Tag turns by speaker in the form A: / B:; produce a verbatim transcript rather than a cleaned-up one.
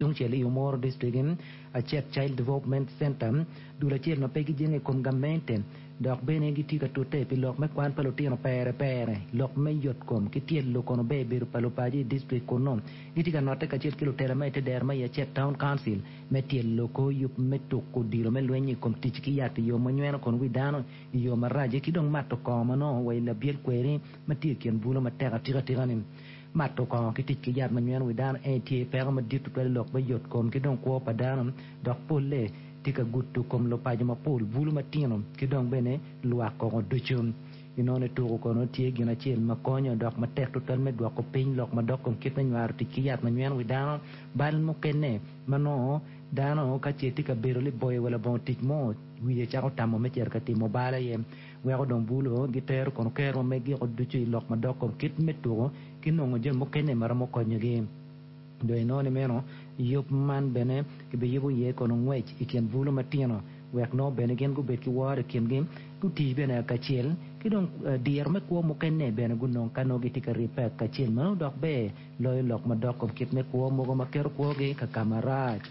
A: Tungcel i Omoro District, Acet Child Development Center, dul acel ma pe gijenge i kom gamente dok bene gitye ka tute pi lok me kwan pa lutino pere pere, lok me yotkom ki tyelo kono ber bedo pa lupaco i district kunnu. Gitye ka notte kacel ki lutela ma i te dero ma i Acet Town Council me tyelo kor yub me tuko odilo me lweny i kom tic ki yat i yo ma nyweno kono wi dano i yo marac ki dong mato kongo ma nongo wa i labyel kweri ma tye i kin bulo matek atika-tika-ni. Mato kongo ki tic ki yat ma nyweno wi dano en tye peko madit tutwal i lok me yotkom ki dong kwo pa dano dok polle tye ka gudo kom lupaco mapol, bulu matino ki dong bene lwak koko ducu. Inongo ni tuko kono tye gin acel ma konyo dok matek tutwal me dwoko piny lok madok kom kit me nywaro tic ki yat ma nyweno wi dano. Bal mukene ma nongo dano ka ce tye ka bedo liboyo wa labongo tic mo wiye cako tamo me cito ka timo bal aye weko dong bulo gitero kono kero ma megiko ducu i lok madok kom kit me tuko ki nongo jami mukene ma romo konyogi. Dong inongo ni meno yub man bene kibiyubo iye kono ngwec i kin bulu matino wek nongo bene gin gubed ki woro i kingi, gutii bene kacel ki dong diro me kwo mukene bene gunong ka nongo gitye ka ribbe kacel. Meno dok ber loyo lok madok kom kit me kwo mogo ma keto kwogi ka ka marac.